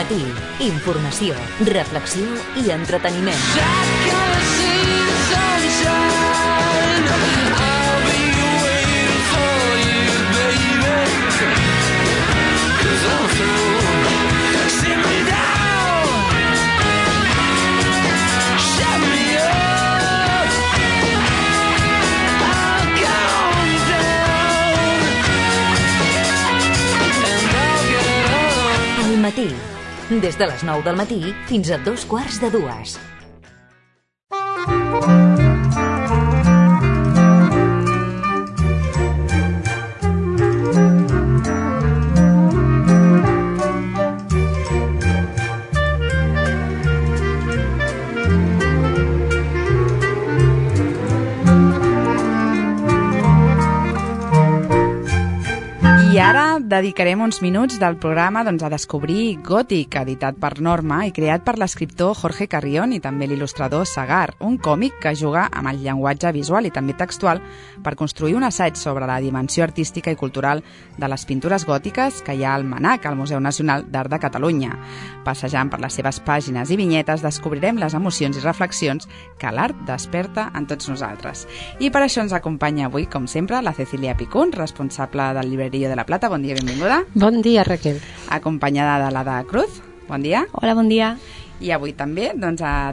Matí. Informació, reflexió i entreteniment. Al Matí. Des de les 9 del matí fins a 2:15. I ara dedicarem uns minuts del programa a descobrir Gòtic, editat per Norma i creat per l'escriptor Jorge Carrión i també l'il·lustrador Sagar, un còmic que juga amb el llenguatge visual i també textual per construir un assaig sobre la dimensió artística i cultural de les pintures gòtiques que hi ha al MNAC, al Museu Nacional d'Art de Catalunya. Passejant per les seves pàgines i vinyetes descobrirem les emocions i reflexions que l'art desperta en tots nosaltres. I per això ens acompanya avui, com sempre, la Cecília Picún, responsable del Librerío de la Plata. Bon dia, benvinguda. Bon dia, Raquel. Acompanyada de l'Ada Cruz. Bon dia. Hola, bon dia. I avui també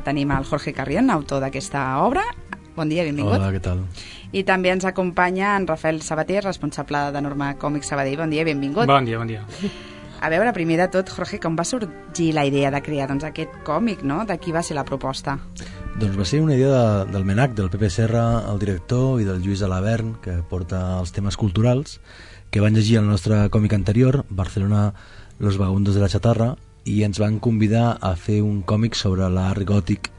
tenim el Jorge Carrión, autor d'aquesta obra. Bon dia, benvingut. Hola, què tal? I també ens acompanya en Rafael Sabater, responsable de Norma Còmics Sabadell. Bon dia, benvingut. Bon dia, bon dia. A veure, primer de tot, Jorge, com va sorgir la idea de crear aquest còmic, no? De qui va ser la proposta? Doncs va ser una idea del MNAC, del Pepe Serra, el director, i del Lluís Alabern, que porta els temes culturals, que van llegir el nostre còmic anterior, Barcelona, Los Vagabundos de la Chatarra, i ens van convidar a fer un còmic sobre l'art gòtic,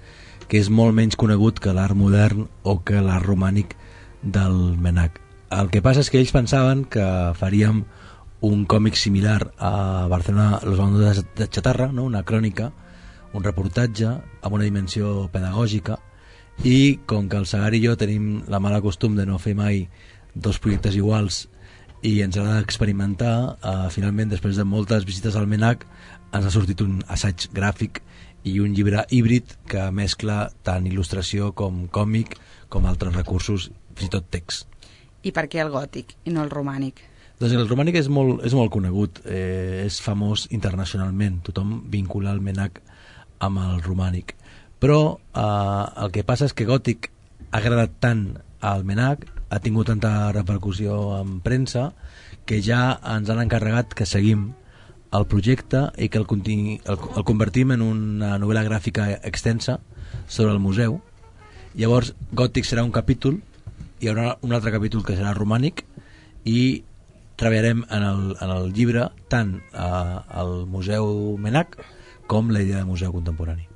que és molt menys conegut que l'art modern o que l'art romànic del MNAC. El que passa és que ells pensaven que faríem un còmic similar a Barcelona, Los Vagabundos de la Chatarra, no? Una crònica, un reportatge amb una dimensió pedagògica, i com que el Sagar i jo tenim la mala costum de no fer mai dos projectes iguals i ens agrada experimentar, finalment, després de moltes visites al MNAC, ens ha sortit un assaig gràfic i un llibre híbrid que mescla tant il·lustració com còmic, com altres recursos, fins i tot text. I per què el gòtic i no el romànic? Doncs el romànic és molt conegut, és famós internacionalment, tothom vincula el MNAC amb el romànic, però el que passa és que gòtic ha agradat tant al MNAC, ha tingut tanta repercussió en premsa, que ja ens han encarregat que seguim el projecte i que el convertim en una novel·la gràfica extensa sobre el museu. Llavors gòtic serà un capítol, hi haurà un altre capítol que serà romànic, i treballarem en el llibre tant al Museu MNAC com la idea de museu contemporani.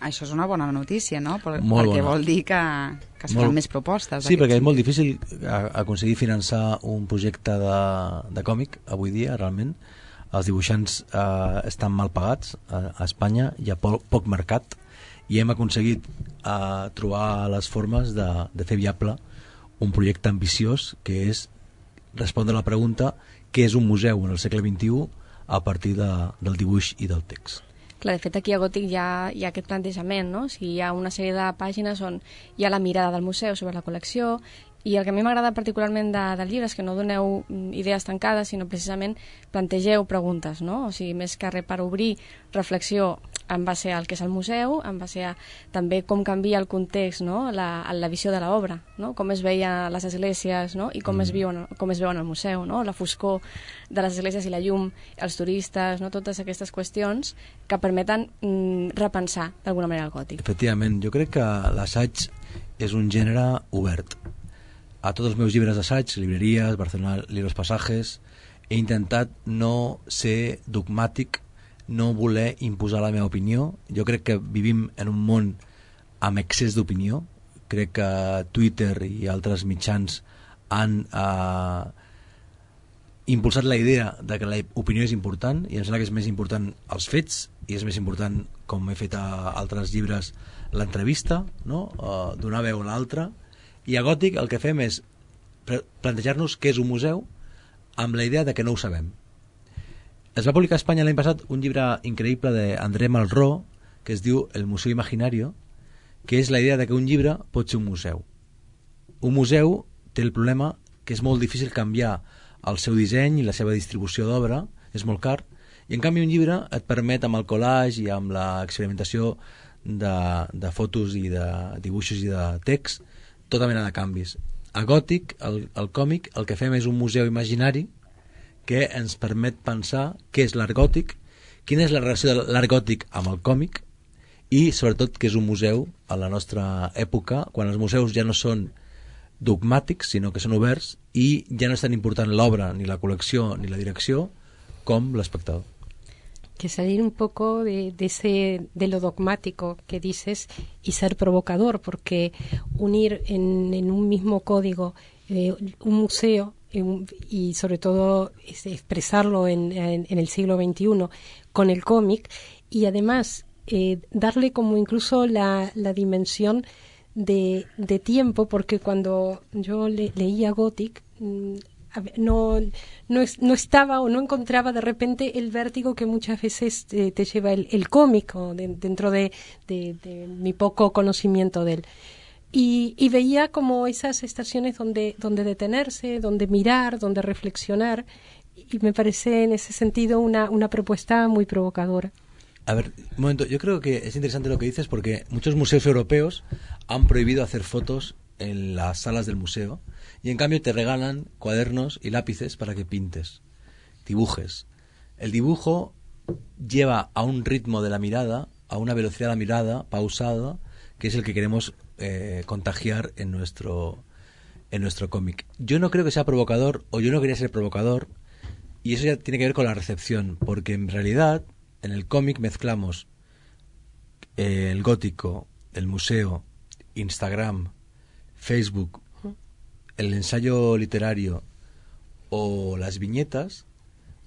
Això és una bona notícia, no? Perquè bona. Vol dir que es fan més propostes. Sí, perquè és molt difícil aconseguir finançar un projecte de còmic avui dia, realment. Els dibuixants estan mal pagats a Espanya, hi ha poc mercat, i hem aconseguit trobar les formes de fer viable un projecte ambiciós, que és respondre a la pregunta què és un museu en el segle XXI a partir del dibuix i del text. Clar, de fet, aquí a Gòtic hi ha aquest plantejament, no? O sigui, hi ha una sèrie de pàgines on hi ha la mirada del museu sobre la col·lecció, i el que a mi m'agrada particularment del llibre és que no doneu idees tancades, sinó precisament plantegeu preguntes, no? O sigui, més que res per obrir reflexió en base al que és el museu, en base a també com canvia el context, no? La visió de l'obra, no? Com es veien les esglésies, no? I com es veuen al museu, no? La foscor de les esglésies i la llum, els turistes, no? Totes aquestes qüestions que permeten repensar d'alguna manera el gòtic. Efectivament, jo crec que l'assaig és un gènere obert. A tots els meus llibres d'assaig, Libreries, Barcelona, Libros Pasajes, he intentat no ser dogmàtic, no voler imposar la meva opinió. Jo crec que vivim en un món amb excés d'opinió. Crec que Twitter i altres mitjans han impulsat la idea de que l'opinió és important, i em sembla que és més important els fets, i és més important, com he fet a altres llibres, l'entrevista, no? Donar veu a l'altre. I a Gòtic el que fem és plantejar-nos què és un museu amb la idea de que no ho sabem. Es va publicar a Espanya l'any passat un llibre increïble d'André Malraux que es diu El Museu Imaginario, que és la idea de que un llibre pot ser un museu. Un museu té el problema que és molt difícil canviar el seu disseny i la seva distribució d'obra, és molt car, i en canvi un llibre et permet amb el collage i amb l'experimentació de fotos i de dibuixos i de text tota mena de canvis. A Gòtic, el còmic, el que fem és un museu imaginari que ens permet pensar què és l'art gòtic, quina és la relació de l'art gòtic amb el còmic i sobretot que és un museu a la nostra època, quan els museus ja no són dogmàtics sinó que són oberts i ja no és tan important l'obra, ni la col·lecció, ni la direcció com l'espectador. Que salir un poco de lo dogmático que dices y ser provocador, porque unir en un mismo código un museo y sobre todo expresarlo en el siglo XXI con el cómic y además darle como incluso la dimensión de tiempo, porque cuando yo leía Gothic no estaba o no encontraba de repente el vértigo que muchas veces te lleva el cómic o dentro de mi poco conocimiento de él. Y veía como esas estaciones donde detenerse, donde mirar, donde reflexionar, y me parece en ese sentido una propuesta muy provocadora. A ver, un momento, yo creo que es interesante lo que dices porque muchos museos europeos han prohibido hacer fotos en las salas del museo y en cambio te regalan cuadernos y lápices para que pintes, dibujes. El dibujo lleva a un ritmo de la mirada, a una velocidad de la mirada pausada, que es el que queremos contagiar en nuestro cómic. Yo no creo que sea provocador, o yo no quería ser provocador, y eso ya tiene que ver con la recepción, porque en realidad en el cómic mezclamos el gótico, el museo, Instagram, Facebook, el ensayo literario o las viñetas,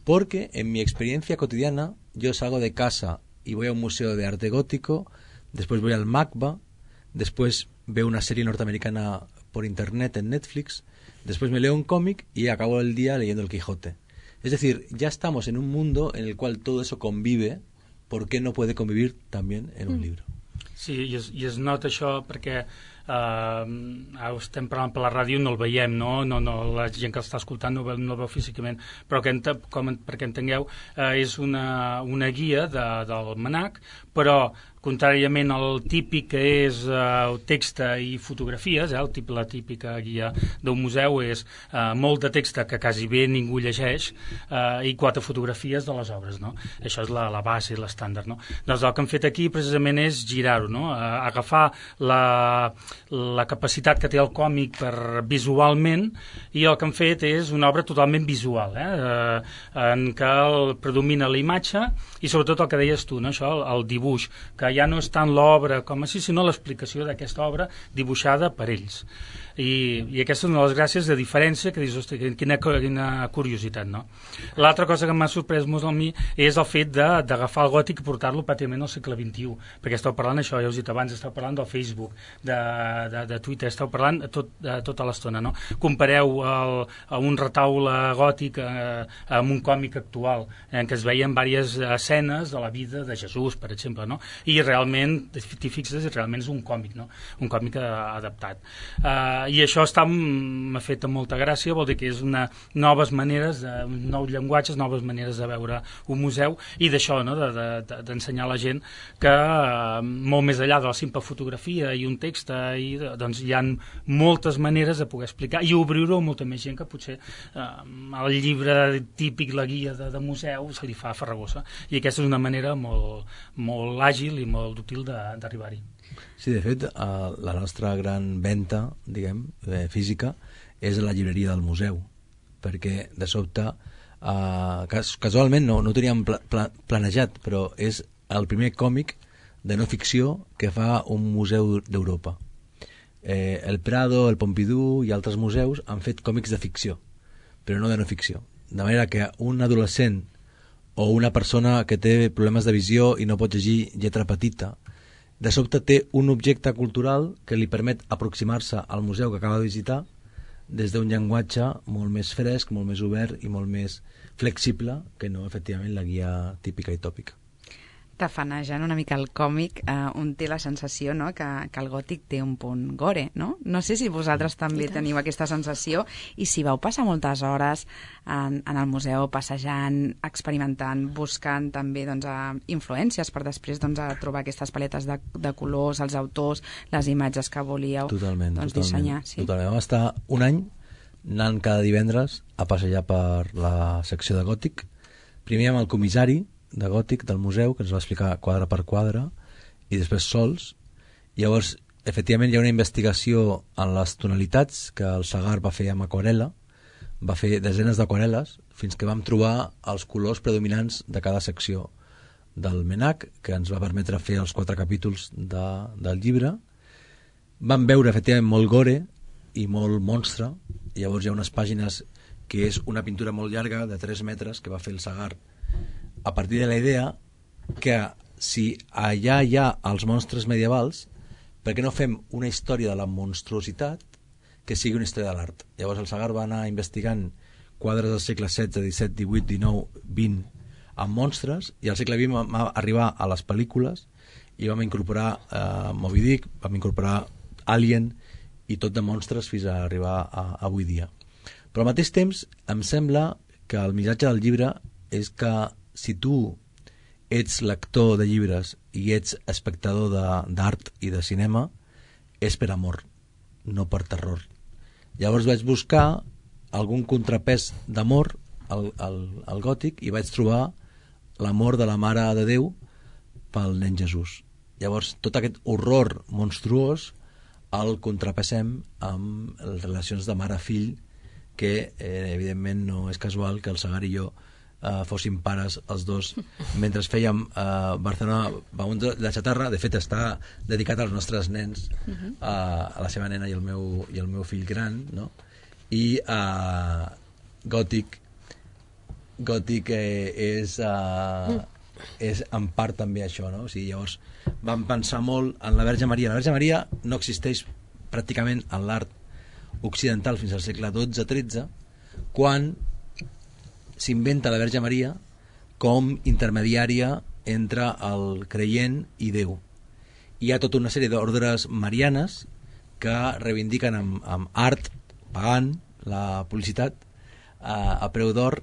porque en mi experiencia cotidiana yo salgo de casa y voy a un museo de arte gótico, después voy al MACBA, después veo una serie norteamericana por internet en Netflix, después me leo un cómic y acabo el día leyendo El Quijote. Es decir, ya estamos en un mundo en el cual todo eso convive. ¿Por qué no puede convivir también en un libro? Sí, i es nota això perquè estem parlant per la ràdio, no el veiem, no la gent que l'està escoltant no el veu físicament, però perquè entengueu, és una guia del MNAC, però contràriament al típic que és text i fotografies, la típica guia d'un museu és molt de text que quasi bé ningú llegeix i 4 fotografies de les obres, no? Això és la base, l'estàndard, no? Doncs el que hem fet aquí precisament és girar-ho, no? Agafar la capacitat que té el còmic per visualment, i el que hem fet és una obra totalment visual, en què predomina la imatge i sobretot el que deies tu, no? Això, el dibuix, que ja no és tant l'obra com així, sinó l'explicació d'aquesta obra dibuixada per ells. I aquesta és una de les gràcies de diferència que dius, hosti, quina curiositat, no? L'altra cosa que m'ha sorprès molt a mi és el fet d'agafar el gòtic i portar-lo pràcticament al segle XXI, perquè esteu parlant això, ja us he dit abans, esteu parlant del Facebook, de Twitter, esteu parlant tota l'estona, no? Compareu un retaule gòtic amb un còmic actual, en què es veien diverses escenes de la vida de Jesús, per exemple, no? I realment, t'hi fixes, realment és un còmic, no? Un còmic adaptat. I això m'ha fet amb molta gràcia, vol dir que és noves maneres, nous llenguatges, noves maneres de veure un museu, i d'això, no? D'ensenyar a la gent que molt més enllà de la simple fotografia i un text, doncs hi ha moltes maneres de poder explicar i obrir-ho a molta més gent que potser el llibre típic, la guia de museu, se li fa farragosa, i aquesta és una manera molt àgil i molt útil d'arribar-hi. Sí, de fet, la nostra gran venda, diguem, física, és la llibreria del museu, perquè de sobte, casualment no ho teníem planejat, però és el primer còmic de no ficció que fa un museu d'Europa. El Prado, el Pompidou i altres museus han fet còmics de ficció, però no de no ficció. De manera que un adolescent o una persona que té problemes de visió i no pot llegir lletra petita, de sobte té un objecte cultural que li permet aproximar-se al museu que acaba de visitar des d'un llenguatge molt més fresc, molt més obert i molt més flexible que no, efectivament, la guia típica i tòpica. Tafanejant una mica el còmic, un té la sensació, no?, que el gòtic té un punt gore, no? No sé si vosaltres també teniu aquesta sensació i si vau passar moltes hores en el museu passejant, experimentant, buscant també doncs, influències per després doncs, trobar aquestes paletes de colors, els autors, les imatges que volíeu dissenyar. Sí? Totalment. Vam estar un any anant cada divendres a passejar per la secció de gòtic, primer amb el comissari de gòtic del museu, que ens va explicar quadre per quadre, i després sols. Llavors, efectivament, hi ha una investigació en les tonalitats que el Sagar va fer amb aquarel·la, va fer desenes d'aquarel·les, fins que vam trobar els colors predominants de cada secció del MNAC, que ens va permetre fer els 4 capítols del llibre. Vam veure, efectivament, molt gore i molt monstre. Llavors hi ha unes pàgines que és una pintura molt llarga, de 3 metres, que va fer el Sagar, a partir de la idea que si allà hi ha els monstres medievals, per què no fem una història de la monstruositat que sigui una història de l'art? Llavors el Sagar va anar investigant quadres del segle XVI, XVII, XVIII, XIX, XX amb monstres, i al segle XX vam arribar a les pel·lícules i vam incorporar Moby Dick, vam incorporar Alien i tot de monstres fins a arribar a avui dia. Però al mateix temps em sembla que el missatge del llibre és que si tu ets lector de llibres i ets espectador d'art i de cinema, és per amor, no per terror. Llavors vaig buscar algun contrapès d'amor al gòtic i vaig trobar l'amor de la Mare de Déu pel nen Jesús. Llavors tot aquest horror monstruós el contrapessem amb les relacions de mare-fill, que evidentment no és casual que el Sagar i jo fóssim pares els dos mentre fèiem Barcelona Vagabundos de la Chatarra. De fet està dedicat als nostres nens, a la seva nena i el meu fill gran, no? I Gòtic és en part també això, no? O sigui, llavors vam pensar molt en la Verge Maria. La Verge Maria no existeix pràcticament en l'art occidental fins al segle XII-XIII, quan s'inventa la Verge Maria com intermediària entre el creient i Déu. Hi ha tota una sèrie d'ordres marianes que reivindiquen amb art pagant la publicitat a preu d'or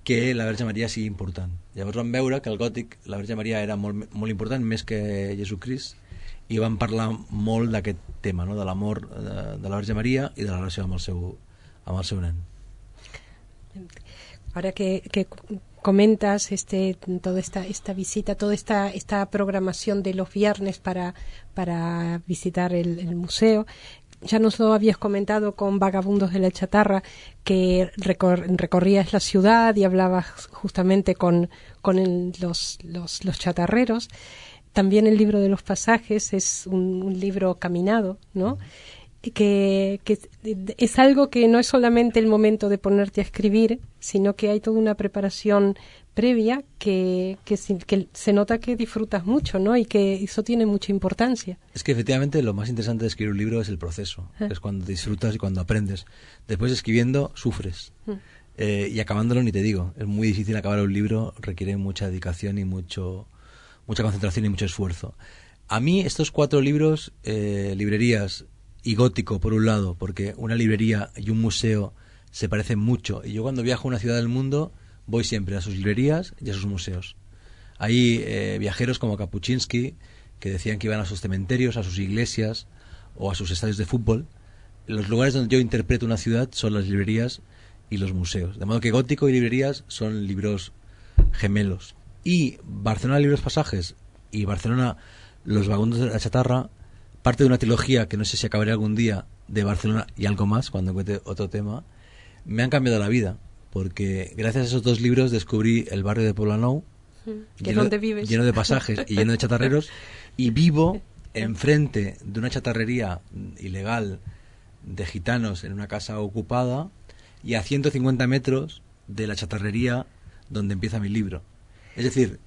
que la Verge Maria sigui important. Llavors vam veure que el gòtic la Verge Maria era molt, molt important, més que Jesucrist, i vam parlar molt d'aquest tema, no? De l'amor de la Verge Maria i de la relació amb el seu nen. Ahora que comentas toda esta visita, toda esta programación de los viernes para visitar el museo, ya nos lo habías comentado con Vagabundos de la Chatarra, que recorrías la ciudad y hablabas justamente con los chatarreros. También el libro de los pasajes es un libro caminado, ¿no? Que es algo que no es solamente el momento de ponerte a escribir, sino que hay toda una preparación previa que se nota que disfrutas mucho, ¿no? Y que eso tiene mucha importancia. Es que efectivamente lo más interesante de escribir un libro es el proceso, es cuando disfrutas y cuando aprendes. Después escribiendo sufres, y acabándolo ni te digo. Es muy difícil acabar un libro, requiere mucha dedicación y mucha concentración y mucho esfuerzo. A mí estos 4 libros, librerías y gótico por un lado, porque una librería y un museo se parecen mucho, y yo cuando viajo a una ciudad del mundo voy siempre a sus librerías y a sus museos. Hay viajeros como Kapuscinski que decían que iban a sus cementerios, a sus iglesias o a sus estadios de fútbol. Los lugares donde yo interpreto una ciudad son las librerías y los museos, de modo que gótico y librerías son libros gemelos. Y Barcelona Libros Pasajes y Barcelona Los Vagabundos de la Chatarra parte de una trilogía que no sé si acabaré algún día, de Barcelona y algo más cuando encuentre otro tema. Me han cambiado la vida, porque gracias a esos 2 libros descubrí el barrio de Poblenou, lleno de pasajes y lleno de chatarreros, y vivo enfrente de una chatarrería ilegal de gitanos en una casa ocupada, y a 150 metros de la chatarrería donde empieza mi libro. Es decir,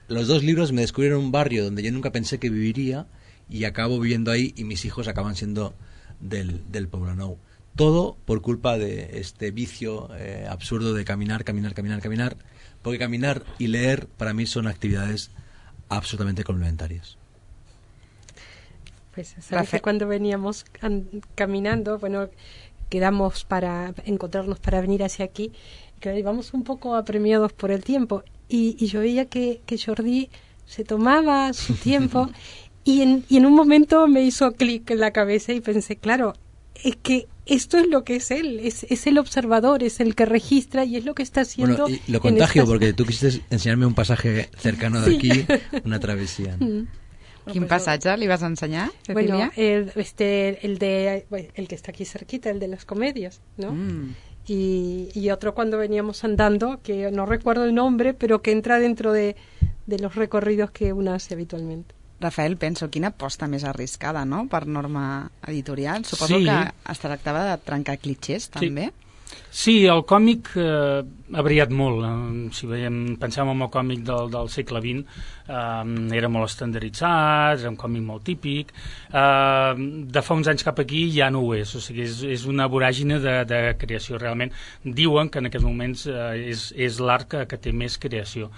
los 2 libros me descubrieron un barrio donde yo nunca pensé que viviría, y acabo viviendo ahí, y mis hijos acaban siendo del Poblenou. todo por culpa de este vicio absurdo de caminar, porque caminar y leer para mí son actividades absolutamente complementarias. Pues sabes que cuando veníamos caminando, bueno, quedamos para encontrarnos para venir hacia aquí, que íbamos un poco apremiados por el tiempo, y yo veía que Jordi se tomaba su tiempo y en un momento me hizo clic en la cabeza y pensé, claro, es que esto es lo que es él, es el observador, es el que registra y es lo que está haciendo. Bueno, y lo contagio porque tú quisiste enseñarme un pasaje cercano de aquí, una travesía. Quin passatge li vas ensenyar, Cecilia? Bueno, el que está aquí cerquita, el de las comedias, ¿no? Y otro cuando veníamos andando, que no recuerdo el nombre, pero que entra dentro de los recorridos que uno hace habitualmente. Rafael, penso, quina aposta més arriscada, no?, per Norma Editorial. Suposo Sí. que es tractava de trencar clitxers, també. Sí, el còmic ha variat molt. Si pensem en el còmic del segle XX, era molt estandarditzat, era un còmic molt típic. De fa uns anys cap aquí ja no ho és, o sigui, és una voràgine de creació. Realment diuen que en aquests moments és l'art que té més creació.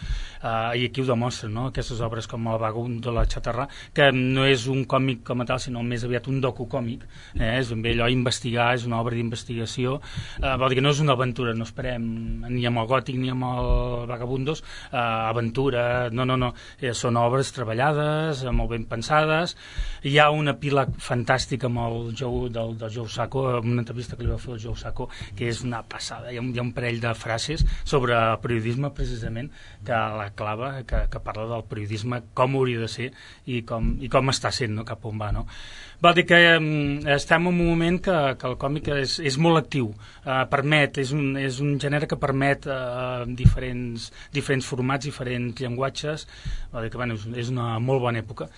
I aquí ho demostra, no?, aquestes obres com El vagabund de la Chatarra, que no és un còmic com a tal, sinó més aviat un dococòmic. És ben bé allò investigar, és una obra d'investigació. Vol dir que no és una aventura, no esperem ni amb el Gòtic ni amb el Vagabundos aventura, no, són obres treballades, molt ben pensades. Hi ha una pila fantàstica amb el Joe del Joe Sacco, una entrevista que li va fer el Joe Sacco, que és una passada. Hi ha un parell de frases sobre periodisme, precisament, que la clava, que parla del periodisme, com hauria de ser i com està sent, no?, cap on va, no? Vol dir que estem en un moment que el còmic és molt actiu, és un gènere que permet diferents formats, diferents llenguatges. Vol dir que bueno, és una molt bona època,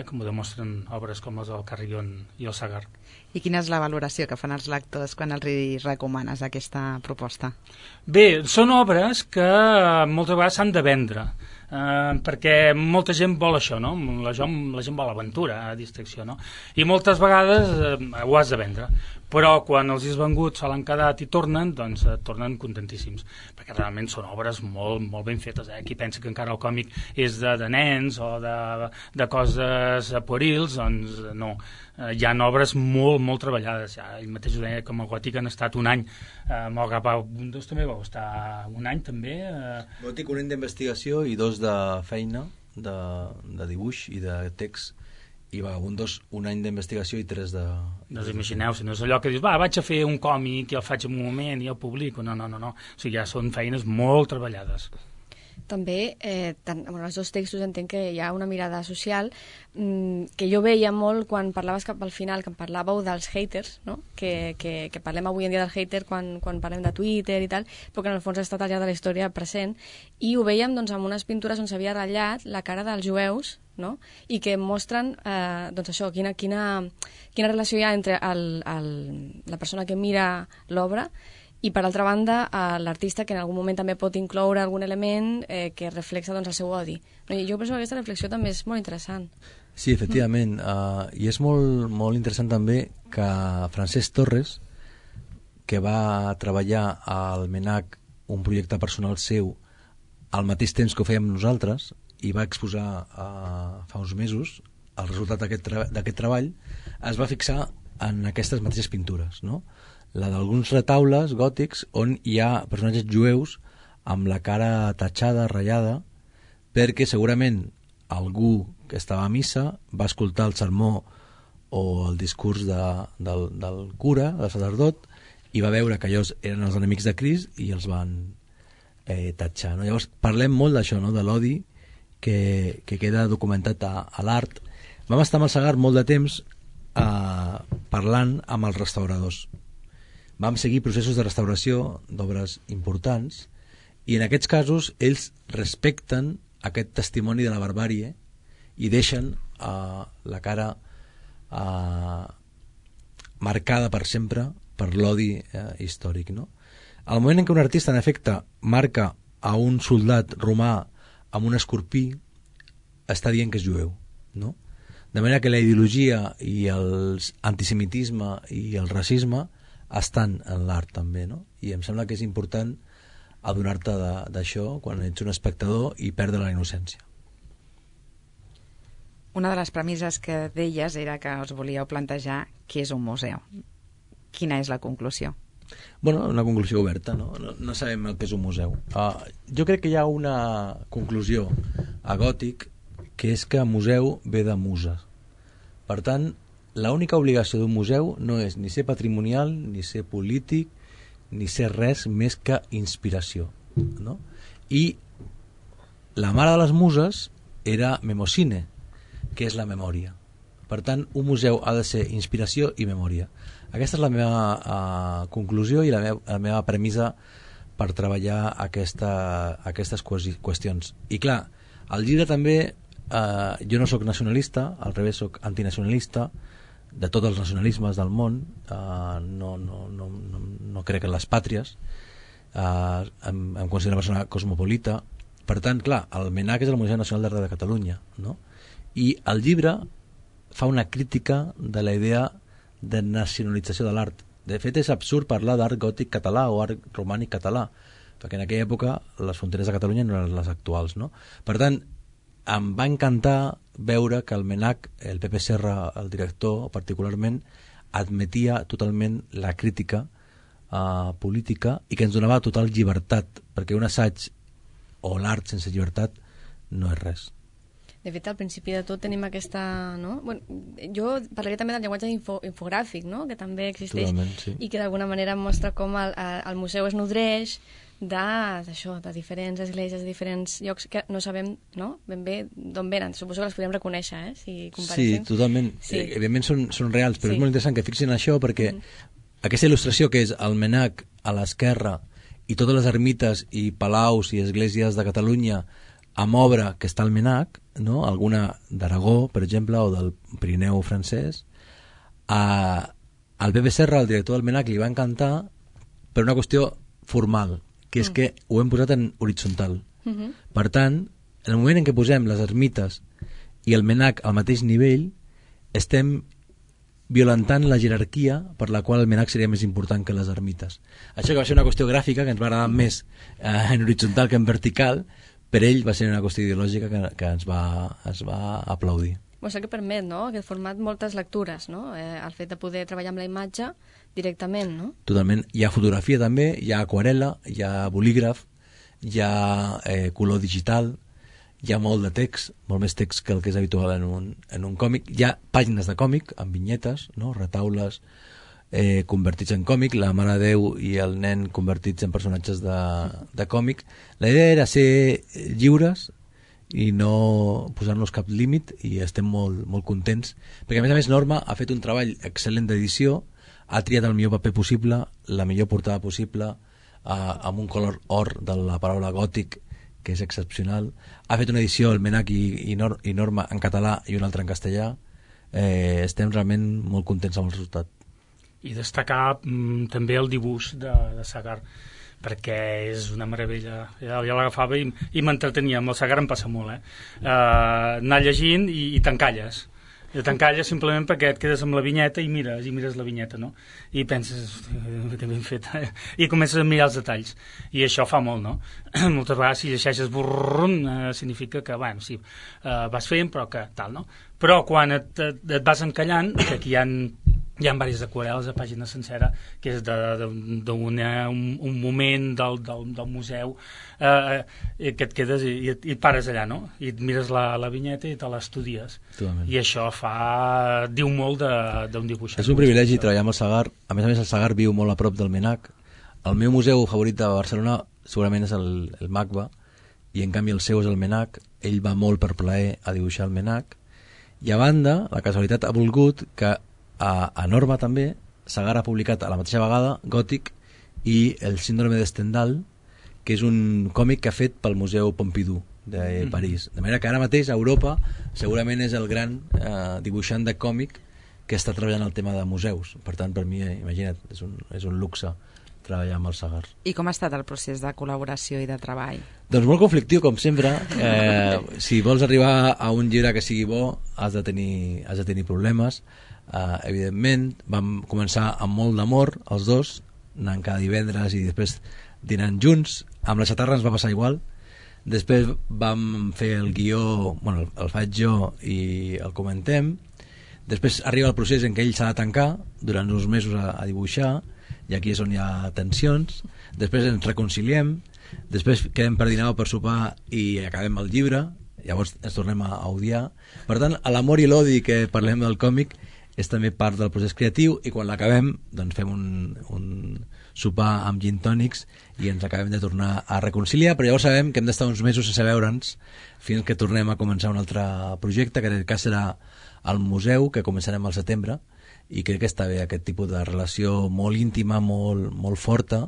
com ho demostren obres com les del Carrion i el Sagar. I quina és la valoració que fan els lectors quan els recomanes aquesta proposta? Bé, són obres que moltes vegades s'han de vendre, perquè molta gent vol això, no? La gent vol aventura, distracció, no? I moltes vegades ho has de vendre, però quan els has vengut se l'han quedat i tornen, doncs tornen contentíssims, perquè realment són obres molt, molt ben fetes. Qui pensa que encara el còmic és de nens o de coses puerils, doncs no. Hi ha obres molt, molt treballades. Ja, ell mateix ho deia, com el Gòtic han estat un any. Amb el Vagabundos també va estar un any, també. Gòtic, un any d'investigació i 2 de feina, de dibuix i de text, i Vagabundos un any d'investigació i 3 de... Doncs imagineu, si no és allò que dius, vaig a fer un còmic i el faig en un moment i el publico. No. O sigui, ja són feines molt treballades. També, en els dos textos entenc que hi ha una mirada social que jo veia molt quan parlaves cap al final, que em parlàveu dels haters, no? que parlem avui en dia del hater quan parlem de Twitter i tal, però que en el fons ha estat al llarg de la història present, i ho veiem doncs, amb unes pintures on s'havia ratllat la cara dels jueus, no? I que mostren doncs això, quina relació hi ha entre la persona que mira l'obra i, per altra banda, l'artista, que en algun moment també pot incloure algun element que reflexa doncs, el seu odi. I jo penso que aquesta reflexió també és molt interessant. Sí, efectivament. I és molt, molt interessant també que Francesc Torres, que va treballar al MNAC un projecte personal seu al mateix temps que ho fèiem nosaltres, i va exposar fa uns mesos el resultat d'aquest treball, es va fixar en aquestes mateixes pintures, no? La d'alguns retaules gòtics on hi ha personatges jueus amb la cara tatxada, ratllada, perquè segurament algú que estava a missa va escoltar el sermó o el discurs del cura, del sacerdot, i va veure que ells eren els enemics de Crist i els van tatxar, no? Llavors parlem molt d'això, no?, de l'odi que queda documentat a l'art. Vam estar amb el Sagar molt de temps parlant amb els restauradors. Vam seguir processos de restauració d'obres importants i en aquests casos ells respecten aquest testimoni de la barbàrie i deixen la cara marcada per sempre per l'odi històric, no? Al moment en què un artista en efecte marca a un soldat romà amb un escorpí, està dient que és jueu, no? De manera que la ideologia i l'antisemitisme i el racisme estan en l'art també, no? I em sembla que és important adonar-te d'això quan ets un espectador i perdre la innocència. Una de les premisses que deies era que us volíeu plantejar què és un museu. Quina és la conclusió? Bueno, una conclusió oberta, no? No sabem el que és un museu. Jo crec que hi ha una conclusió a Gòtic, que és que museu ve de muses. Per tant, l'única obligació d'un museu no és ni ser patrimonial, ni ser polític, ni ser res més que inspiració, no? I la mare de les muses era Mnemosine, que és la memòria. Per tant, un museu ha de ser inspiració i memòria. Aquesta és la meva conclusió i la meva premissa per treballar aquestes qüestions. I clar, al llibre també jo no sóc nacionalista, al revés sóc antinacionalista de tots els nacionalismes del món, no crec en les pàtries, em considero una persona cosmopolita. Per tant, clar, el MNAC és el Museu Nacional d'Art de Catalunya, no? I el llibre fa una crítica de la idea de nacionalització de l'art. De fet, és absurd parlar d'art gòtic català o art romànic català, perquè en aquella època les fronteres de Catalunya no eren les actuals, no? Per tant, em va encantar veure que el MNAC, el Pepe Serra, el director particularment, admetia totalment la crítica política i que ens donava total llibertat, perquè un assaig o l'art sense llibertat no és res. De fet, al principi de tot tenim aquesta... No? Bueno, jo parlaria també del llenguatge infogràfic, no? Que també existeix. Totalment, sí. I que d'alguna manera mostra com el museu es nodreix d'això, de diferents esglésies, de diferents llocs que no sabem, no? Ben bé d'on venen. Suposo que les podem reconèixer, si comparéssim. Sí, totalment. Sí. Evidentment són reals, però sí. És molt interessant que fixin això perquè aquesta il·lustració que és el MNAC a l'esquerra i totes les ermites i palaus i esglésies de Catalunya amb obra que està al MNAC, no? Alguna d'Aragó, per exemple, o del Pirineu francès, al Pepe Serra, el director del MNAC, li va encantar per una qüestió formal, que és que ho hem posat en horitzontal. Per tant, en el moment en què posem les ermites i el MNAC al mateix nivell, estem violentant la jerarquia per la qual el MNAC seria més important que les ermites. Això que va ser una qüestió gràfica que ens va agradar més en horitzontal que en vertical, per ell va ser una qüestió ideològica que ens va aplaudir. Això que permet, no?, aquest format, moltes lectures, no? El fet de poder treballar amb la imatge directament, no? Totalment. Hi ha fotografia també, hi ha aquarel·la, hi ha bolígraf, hi ha color digital, hi ha molt de text, molt més text que el que és habitual en un còmic. Hi ha pàgines de còmic amb vinyetes, no? Retaules convertits en còmic, la Mare de Déu i el nen convertits en personatges de còmic. La idea era ser lliures i no posar-nos cap límit i estem molt, molt contents perquè a més Norma ha fet un treball excel·lent d'edició, ha triat el millor paper possible, la millor portada possible, amb un color or de la paraula gòtic que és excepcional, ha fet una edició el MNAC i Norma en català i una altra en castellà. Estem realment molt contents amb el resultat. I destacar també el dibuix de Sagar, perquè és una meravella. Ja l'agafava i m'entretenia. Amb el Sagar em passa molt, anar llegint i t'encalles. I t'encalles simplement perquè et quedes amb la vinyeta i mires la vinyeta, no? I penses, que ben fet, i comences a mirar els detalls. I això fa molt, no? Moltes vegades si llegeixes significa que, bueno, sí, vas fent, però que tal, no? Però quan et vas encallant, que aquí hi ha diverses aquarel·les a pàgina sencera, que és d'un moment del museu, que et quedes i et pares allà, no? I et mires la vinyeta i te l'estudies. I això diu molt d'un dibuixant. És un privilegi treballar amb el Sagar. A més, el Sagar viu molt a prop del MNAC. El meu museu favorit de Barcelona segurament és el MACBA, i en canvi el seu és el MNAC. Ell va molt per plaer a dibuixar el MNAC. I a banda, la casualitat ha volgut que a Norma també Sagar ha publicat a la mateixa vegada Gòtic i el síndrome de Stendhal, que és un còmic que ha fet pel Museu Pompidou de París. De manera que ara mateix a Europa segurament és el gran dibuixant de còmic que està treballant el tema de museus. Per tant, per mi, imagina't, és un luxe treballar amb el Sagar. I com ha estat el procés de col·laboració i de treball? Doncs molt conflictiu, com sempre. Si vols arribar a un llibre que sigui bo, has de tenir problemes. Evidentment, vam començar amb molt d'amor, els dos, anant cada divendres i després dinant junts. Amb la Xatarra ens va passar igual. Després vam fer el guió, bueno, el faig jo i el comentem. Després arriba el procés en què ell s'ha de tancar durant uns mesos a dibuixar, i aquí és on hi ha tensions. Després ens reconciliem, després quedem per dinar o per sopar i acabem el llibre, llavors ens tornem a odiar. Per tant, l'amor i l'odi que parlem del còmic és també part del procés creatiu, i quan l'acabem doncs fem un sopar amb gin tònics i ens acabem de tornar a reconciliar, però llavors sabem que hem d'estar uns mesos sense veure'ns fins que tornem a començar un altre projecte, que en aquest cas serà al museu, que començarem al setembre, i crec que està bé aquest tipus de relació molt íntima, molt forta,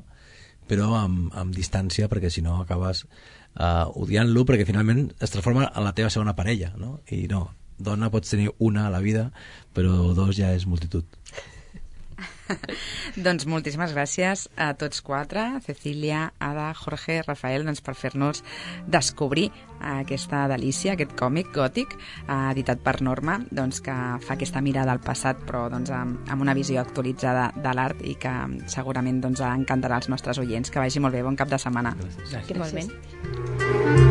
però amb distància, perquè si no acabes odiant-lo, perquè finalment es transforma en la teva segona parella, no? I no, dona pots tenir una a la vida, però dos ja és multitud. Doncs moltíssimes gràcies a tots quatre, Cecília, Ada, Jorge, Rafael, doncs per fer-nos descobrir aquesta delícia, aquest còmic gòtic editat per Norma, doncs que fa aquesta mirada al passat, però doncs amb una visió actualitzada de l'art, i que segurament doncs encantarà als nostres oients. Que vagi molt bé, bon cap de setmana. Gràcies. Igualment.